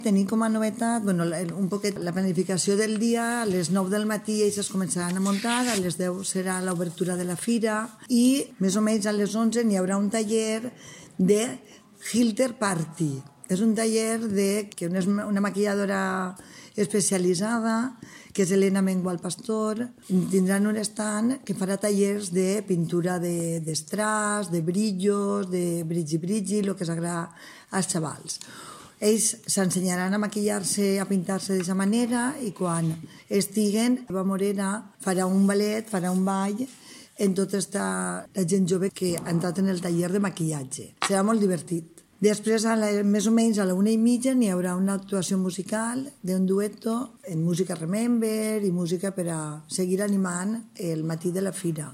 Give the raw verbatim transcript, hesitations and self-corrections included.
Tenim com a novetat bueno, un poquet la planificació del dia. A les nou del matí ells es començaran a muntar, a les deu serà l'obertura de la fira i més o menys a les onze n'hi haurà un taller de Hilter Party. És un taller de, que és una maquilladora especialitzada, que és Elena Mengual Pastor. Tindran un stand que farà tallers de pintura d'estraç, de, de brillos, de brigi-brigi, el que s'agrada als xavals. Ells s'ensenyaran a maquillar-se, a pintar-se d'aquesta manera i quan estiguen, Eva Morena farà un ballet, farà un ball en tota esta, la gent jove que ha entrat en el taller de maquillatge. Serà molt divertit. Després, a la, més o menys a la una i mitja, n'hi haurà una actuació musical d'un dueto en música Remember i música per a seguir animant el matí de la fira.